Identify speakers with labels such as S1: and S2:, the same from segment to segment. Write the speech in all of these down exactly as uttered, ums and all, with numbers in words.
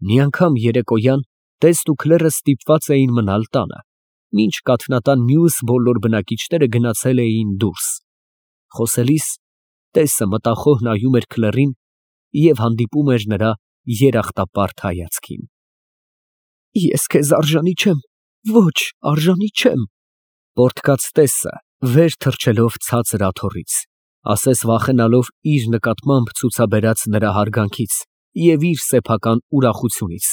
S1: Մի անգամ երեկոյան տեստ ու քլերը ստիպված էին մնալ տանը, մինչ կաթնատան մյուս բոլոր բնակիչները գնացել էին դուրս։ Խոսելիս տեսը մտախոհ նայում էր քլերին և հանդիպում էր նրա երախտապարտ հայացքին։ Ես քեզ արժանի չեմ, ոչ, արժանի չեմ, պոռթկաց տեսը, վեր թռչելով ցածր աթոռից, ասես վախենալով իր նկատմամբ ցուցաբերած նրա հարգանքից և իր սեփական ուրախությունից։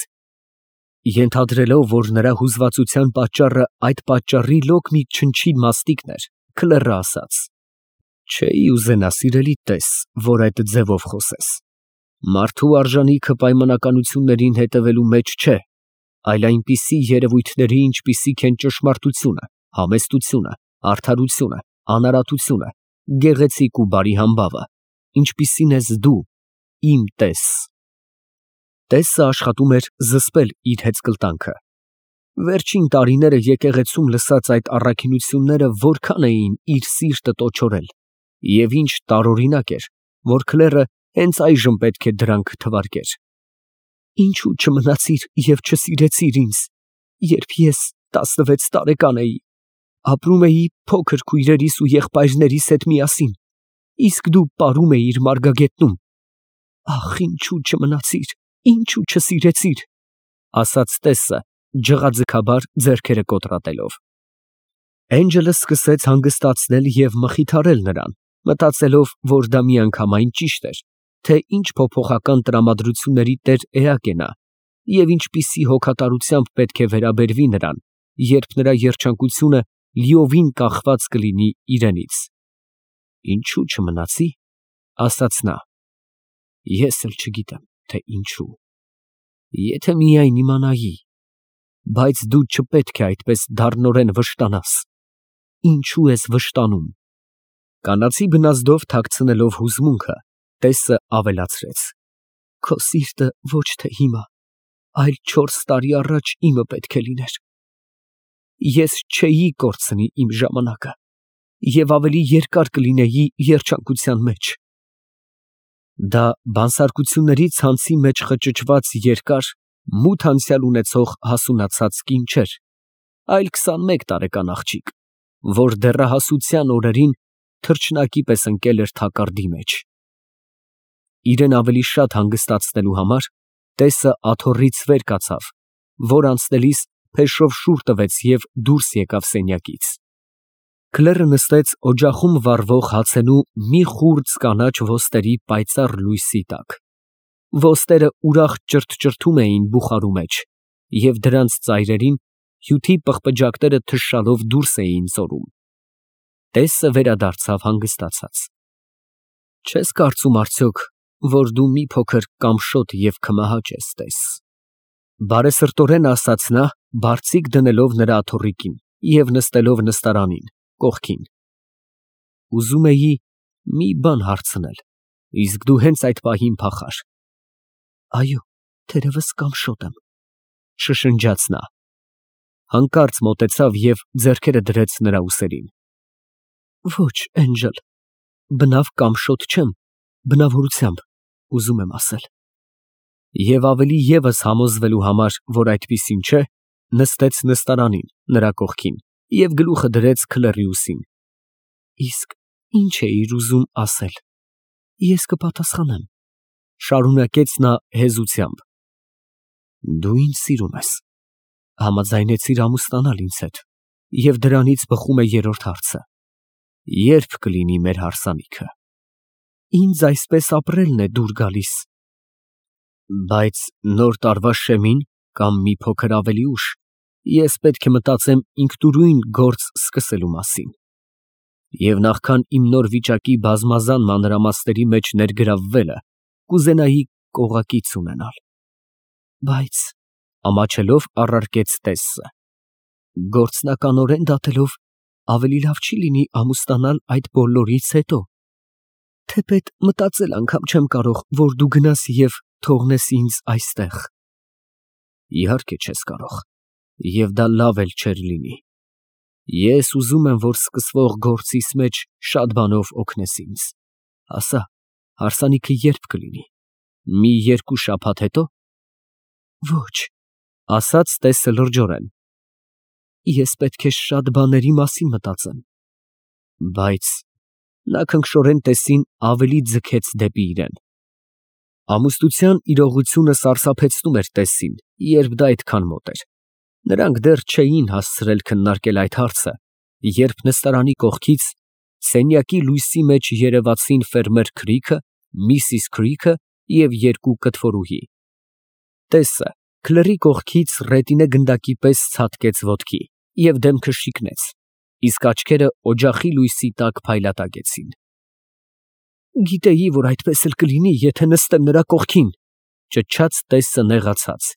S1: Ենթադրելով, որ նրա հուզվածության պատճառը այդ պատճառի լոկ մի չնչին մաստիկն էր, քլերը ասաց. չէի ուզենա, սիրելի տես, որ այդ ձևով խոսես։ Մարդու արժանիքը պայմանականություններին հետևելու մեջ չէ, այլ այնպիսի երևույթների, ինչպիսիք են ճշմարտությունը, համեստությունը, արդարությունը, անարատությունը, գեղեցիկ ու բարի համբավը, ինչպիսին ես դու, իմ տես։ Տեսը աշխատում էր զսպել իր հեծկլտանքը։ Վերջին տարիները եկեղեցում լսած այդ առաքինությունները որքան էին իր սիրտը տոչորել, և ինչ տարօրինակ էր, որ քլերը հենց այժմ պետք է դրանք թվարկեր։ Ինչո՞ւ չմնացիր և չսիրեցիր ինձ, երբ ես տասնվեց տարեկան էի, ապրում էի փոքր քույրերիս ու եղբայրներիս հետ միասին, իսկ դու պարում էիր մարգագետնում։ Ախ, ինչո՞ւ չմնացիր, ինչո՞ւ չսիրեցիր, ասաց տեսը, ջղաձգաբար ձեռքերը կոտրատելով։ Էնջելը սկսեց հանգստացնել և մխիթարել նրան, մտածելով, որ դա միանգամայն ճիշտ էր, թե ինչ փոփոխական տրամադրությունների տեր էակ է նա, և ինչպիսի հոգատարությամբ պետք է վերաբերվի նրան, երբ նրա երջանկությունը լիովին կախված կլինի իրենից։ Ինչո՞ւ չմնացի, ասաց նա, ես էլ չգիտեմ, թե ինչու։ Եթե միայն իմանայի, բայց դու չպետք է այդպես դառնորեն վշտանաս։ Ինչո՞ւ ես վշտանում։ Կանացի բնազդով թաքցնելով հուզմունքը, տեսը ավելացրեց. Քո սիրտը ոչ թե հիմա, այլ չորս տարի առաջ իմը պետք է լիներ։ Ես չէի կորցնի իմ ժամանակը և ավելի երկար կլինեի երջանկության մեջ։ Դա բանսարկությունների ցանցի մեջ խճճված երկար, մութ անցյալ ունեցող հասունացած կին չէր, այլ քսանմեկ տարեկան աղջիկ, որ դեռահասության օրերին թռչնակի պես ընկել էր թակարդի մեջ։ Իրեն ավելի շատ հանգստացնելու համար տեսը աթոռից վեր կացավ, որ անցնելիս փեշով շուռ տվեց և դուրս եկավ սենյակից։ Քլերը նստեց օջախում վառվող հացենու մի խուրձ կանաչ ոստերի պայծառ լույսի տակ։ Ոստերը ուրախ ճրթճրթում էին բուխարու մեջ, և դրանց ծայրերին հյութի պղպջակները թշալով դուրս էին ծորում։ Տեսը վերադարձավ հանգստացած։ Չես կարծում արդյոք, որ դու մի փոքր կամշոտ և քմահաճ ես, տես, բարեսրտորեն ասաց նա, բարձիկ դնելով նրա աթոռիկին և նստելով նստարանին, կողքին։ Ուզում էի մի բան հարցնել, իսկ դու հենց այդ պահին փախար։ Այո, թերևս կամշոտ եմ, շշնջաց նա։ Հանկարծ մոտեցավ և ձեռքերը դրեց նրա ուսերին։ Ոչ, Էնջել, բնավ կամշոտ չեմ, բնավորությամբ, ուզում եմ ասել։ Եվ ավելի ևս համոզվելու համար, որ այդպիսին չէ, նստեց նստարանին, նրա կողքին, և գլուխը դրեց քլերի ուսին։ Իսկ ի՞նչ էիր ուզում ասել։ Ես կպատասխանեմ, շարունակեց նա հեզությամբ։ Դու ինձ սիրում ես, համաձայնեցիր ամուսնանալ ինձ հետ, և դրանից բխում է երրորդ հարցը. ե՞րբ կլինի մեր հարսանիքը։ Ինձ այսպես ապրելն է դուր գալիս։ Բայց նոր տարվա շեմին, կամ մի փոքր ավելի ուշ, ես պետք է մտածեմ ինքնուրույն գործ սկսելու մասին։ Եվ նախքան իմ նոր վիճակի բազմազան մանրամասների մեջ ներգրավվելը, կուզենայի կողակից ունենալ։ Բայց, ամաչելով առարկեց տեսը, գործնականորեն դատելով, ավելի լավ չի լինի ամուսնանալ այդ բոլորից հետո։ Թեպետ մտածել անգամ չեմ կարող, որ դու գնաս և թողնես ինձ այստեղ։ Իհարկե չես կարող, և դա լավ էլ չէր լինի։ Ես ուզում եմ, որ սկսվող գործիս մեջ շատ բանով օգնես ինձ։ Ասա, հարսանիքը ե՞րբ կլինի։ Մի երկու շաբաթ հետո։ Ոչ, ասաց տեսը լրջորեն։ Ես պետք է շատ բաների մասին մտածեմ։ Բայց նա քնքշորեն տեսին ավելի ձգեց դեպի իրեն։ Ամուսնության իրողությունը սարսափեցնում էր տեսին, երբ դա այդքան մոտ էր։ Նրանք դեռ չէին հասցրել քննարկել այդ հարցը, երբ նստարանի կողքից սենյակի լույսի մեջ երևացին ֆերմեր Քրիքը, Միսիս Քրիքը և երկու կտվորուհի։ Տեսը քլերի կողքից ռետինե գնդակի պես ցատկեց ոտքի և դեմքը շիկնեց, իսկ աչքերը օջախի լույսի տակ փայլատակեցին։ Գիտեի, որ այդպես էլ կլինի, եթե նստեմ նրա կողքին, ճչաց տեսը նեղացած։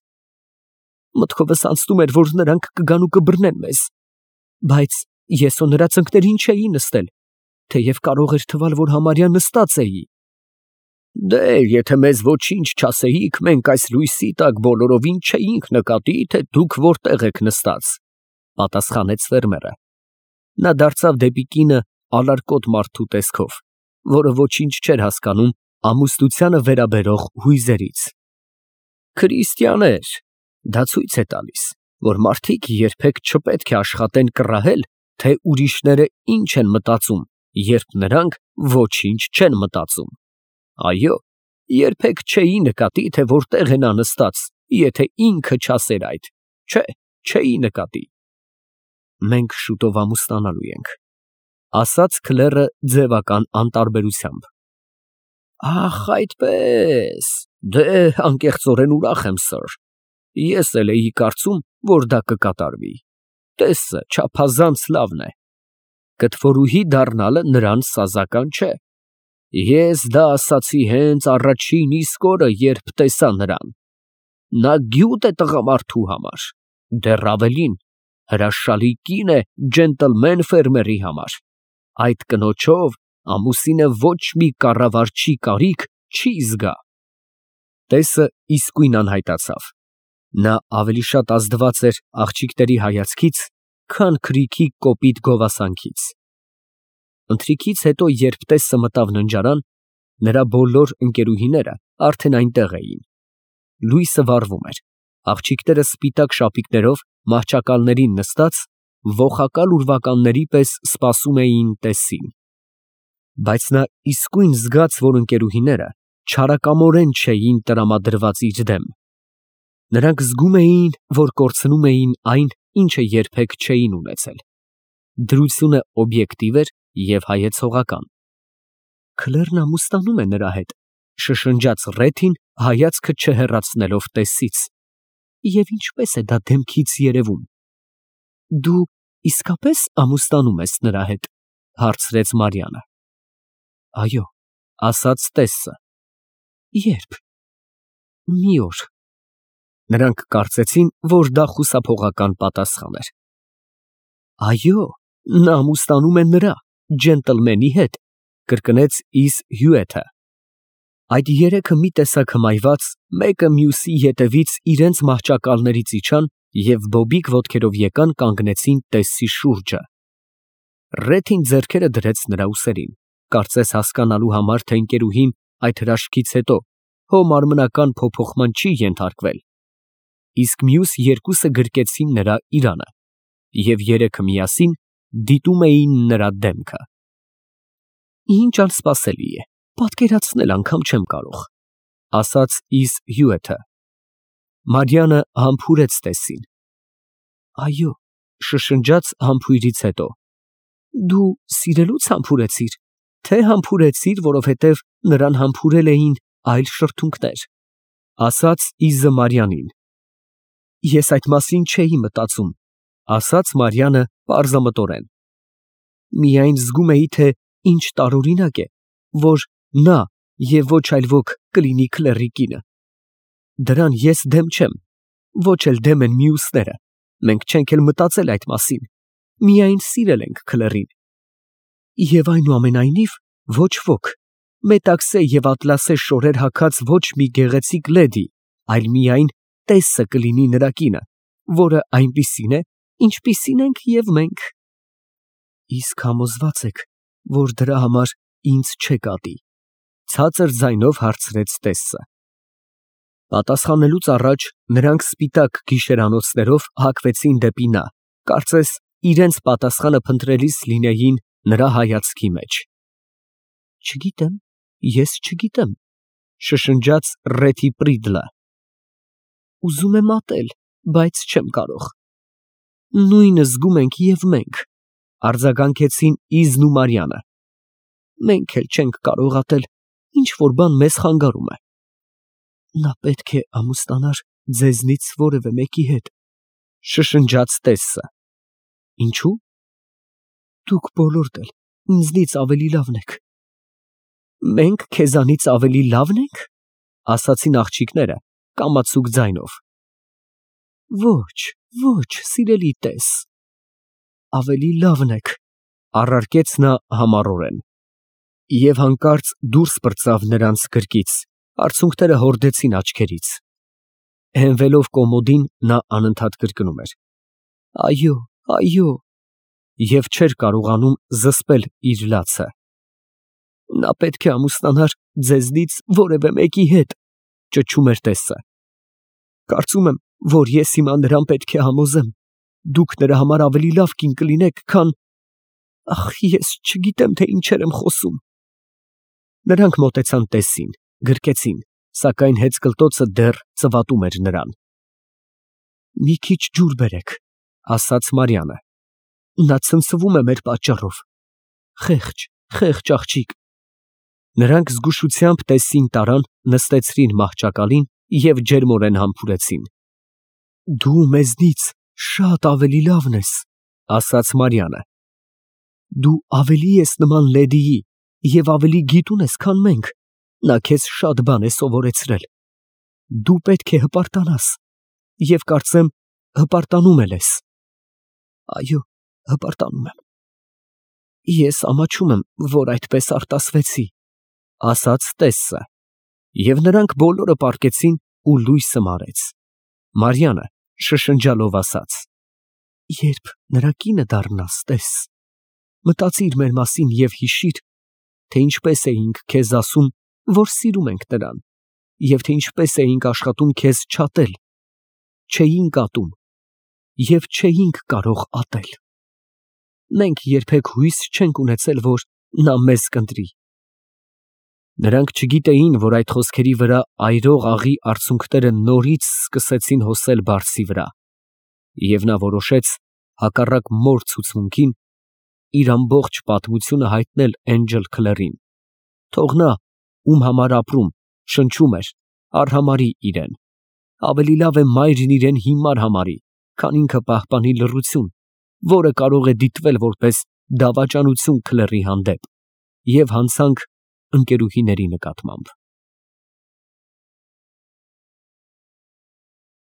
S1: Մտքովս անցնում էր, որ նրանք կգան ու կբռնեն մեզ, բայց ես ու նրա ծնկներին չէի նստել, թեև կարող էր թվալ, որ համարյա նստած էի։ Դե, եթե մեզ ոչինչ չասեիք, մենք այս լույսի տակ բոլորովին չէինք նկատի, թե դուք որտեղ եք նստած, պատասխանեց ֆերմերը։ Նա դարձավ դեպի կինը ալարկոտ մարդու տեսքով, որը ոչինչ չէր հասկանում ամուսնությանը վերաբերող հույզերից։ Քրիստիաներ, դա ցույց է տալիս, որ մարդիկ երբեք չպետք է աշխատեն կռահել, թե ուրիշները ինչ են մտածում, երբ նրանք ոչինչ չեն մտածում։ Այո, երբեք չէի նկատի, թե որտեղ է նա նստած, եթե ինքը չասեր այդ, չէ, չէի նկատի։ Մենք շուտով ամուսնանալու ենք, ասաց քլերը ձևական անտարբերությամբ։ Ախ, այդպես, դե, անկեղծորեն ուրախ եմ, սըր, ես էլ էի կարծում, որ դա կկատարվի, տեսը չափազանց լավն է, կտվորուհի դառնալը նրան սազական չէ, ես դա ասացի հենց առաջին իսկ օրը, երբ տեսա նրան, նա գյուտ է տղամարդու համար, դեռ ավելին, հրաշալի կին է ջենտլմեն ֆերմերի համար, այդ կնոջով ամուսինը ոչ մի կառավարչի կարիք չի զգա։ Տեսը իսկույն անհայտացավ, նա ավելի շատ ազդված էր աղջիկների հայացքից, քան Քրիքի կոպիտ գովասանքից։ Ընթրիքից հետո, երբ տեսը մտավ ննջարան, նրա բոլոր ընկերուհիները արդեն այնտեղ էին։ Լույսը վառվում էր, աղջիկները սպիտակ շապիկներով մահճակալներին նստած, ոխակալ ուրվականների պես սպասում էին տեսին։ Բայց նա իսկույն զգաց, որ ընկերուհիները չարակամորեն չէին տրամադրված իր դեմ։ Նրանք զգում էին, որ կորցնում էին այն, ինչը երբեք չէին ունեցել։ Դրությունը օբյեկտիվ էր և հայեցողական։ Քլերն ամուսնանում է նրա հետ, շշնջաց Ռեթին, հայացքը չհեռացնելով տեսից։ Եվ ինչպես է դա դեմքից երևում։ Դու իսկապես ամուսնանում ես նրա հետ, հարցրեց Մարիանը։ Այո, ասաց տեսը։ Ե՞րբ։ Մի օր։ Նրանք կարծեցին, որ դա խուսափողական պատասխան էր։ Այո, նա ամուսնանում է նրա, ջենտլմենի հետ, կրկնեց Իզ Հյուեթը։ Այդ երեքը մի տեսակ հմայված, մեկը մյուսի ետևից իրենց մահճակալներից իջան և բոբիկ ոտքերով եկան կանգնեցին տեսի շուրջը։ Ռեթին ձեռքերը դրեց նրա ուսերին, կարծես հասկանալու համար, թե ընկերուհին այդ հրաշքից հետո հո մարմնական փոփոխման չի ենթարկվել, իսկ մյուս երկուսը գրկեցին նրա իրանը, և երեքը միասին դիտում էին նրա դեմքը։ Ինչ անսպասելի է, պատկերացնել անգամ չեմ կարող, ասաց Իզ Հյուեթը։ Մարիանը համբուրեց տեսին։ Այո, շշնջաց համբույրից հետո։ Դու սիրելուց համբուրեցիր, թե համբուրեցիր, որովհետև նրան համբուրել էին այլ շրթունքներ, ասաց Իզը Մարիանին։ Ես այդ մասին չէի մտածում, ասաց Մարիանը պարզամտորեն։ Միայն զգում էի, թե ինչ տարօրինակ է, որ նա և ոչ այլ ոք կլինի քլերի կինը։ Դրան ես դեմ չեմ, ոչ էլ դեմ են մյուսները, մենք չենք էլ մտածել այդ մասին, միայն սիրել ենք քլերին։ Եվ այնուամենայնիվ ոչ ոք, մետաքսե և ատլասե շորեր հագած ոչ մի գեղեցիկ լեդի, այլ միայն տեսը կլինի նրա կինը, որը այնպիսին է, ինչպիսին ենք և մենք։ Իսկ համոզվա՞ծ եք, որ դրա համար ինձ չեք ատի, ցածր ձայնով հարցրեց տեսը։ Պատասխանելուց առաջ նրանք սպիտակ գիշերանոցներով հագվեցին դեպի նա, կարծես իրենց պատասխանը փնտրելիս լինեին նրա հայացքի մեջ։ Չգիտեմ, ես չգիտեմ, շշնջաց Ռեթի Պրիդլը։ Ուզում եմ ատել, բայց չեմ կարող։ Նույնը զգում ենք և մենք, արձագանքեցին Իզն ու Մարիամը։ Մենք էլ չենք կարող ատել, ինչ որ բան մեզ խանգարում է։ Նա պետք է ամուսնանար ձեզնից որևէ մեկի հետ, շշնջաց Տեսը։ Ինչու՞։ Դուք բոլորդ էլ ինձնից ավելի լավն եք։ Մենք քեզանից ավելի լավն ենք, ասացին աղջիկները կամացուկ ձայնով։ Ոչ, ոչ, սիրելի տես, ավելի լավն եք, առարկեց նա համառորեն։ Եվ հանկարծ դուրս պրծավ նրանց գրկից, արցունքները հորդեցին աչքերից։ Հենվելով կոմոդին նա անընդհատ կրկնում էր. Այո, այո, և չէր կարողանում զսպել իր լացը։ Նա պետք է ամուսնանար ձեզնից որևէ մեկի հետ, ճչում էր Տեսը։ Կարծում եմ, որ ես հիմա նրան պետք է համոզեմ, դուք նրա համար ավելի լավ կին կլինեք, քան… Ախ, ես չգիտեմ, թե ինչեր եմ խոսում։ Նրանք մոտեցան Տեսին, գրկեցին, սակայն հեծկլտոցը դեռ ծվատում էր նրան։ Մի քիչ ջուր բերեք, ասաց Մարիամը։ Նա ցնցվում է մեր պատճառով։ Խեղճ, խեղճ աղջիկ։ Նրանք զգուշությամբ Տեսին տարան, նստեցրին մահճակալին և ջերմորեն համբուրեցին։ Դու մեզնից շատ ավելի լավն ես, ասաց Մարիամը։ Դու ավելի ես նման լեդիի և ավելի գիտուն ես, քան մենք, նա քեզ շատ բան է սովորեցրել։ Դու պետք է հպարտանաս, և կարծեմ հպարտանում էլ ես։ Այո, հպարտանում եմ։ Ես ամաչում եմ, որ այդպես արտասվեցի, ասաց Տեսը, և նրանք բոլորը պառկեցին ու լույսը մարեց։ Մարիամը շշնջալով ասաց. Երբ նրա կինը դառնաս, տես, մտածիր մեր մասին և հիշիր, թե ինչպես էինք քեզ ասում, որ սիրում ենք նրան, և թե ինչպես էինք աշխատում քեզ չատել, չէինք ատում և չէինք կարող ատել։ Մենք երբեք հույս չենք ունեցել, որ նա մեզ կընտրի։ Նրանք չգիտեին, որ այդ խոսքերի վրա այրող աղի արցունքները նորից սկսեցին հոսել բարձի վրա, և նա որոշեց, հակառակ մոր ցուցմունքին, իր ամբողջ պատմությունը հայտնել Էնջել Քլերին, թող նա, ում համար ապրում, շնչում էր, արհամարհի իրեն, ավելի լավ է մայրն իրեն հիմար համարի, քան ինքը պահպանի լռություն, որը կարող է դիտվել որպես դավաճանություն Քլերի հանդեպ և հանցանք ընկերուհիների նկատմամբ։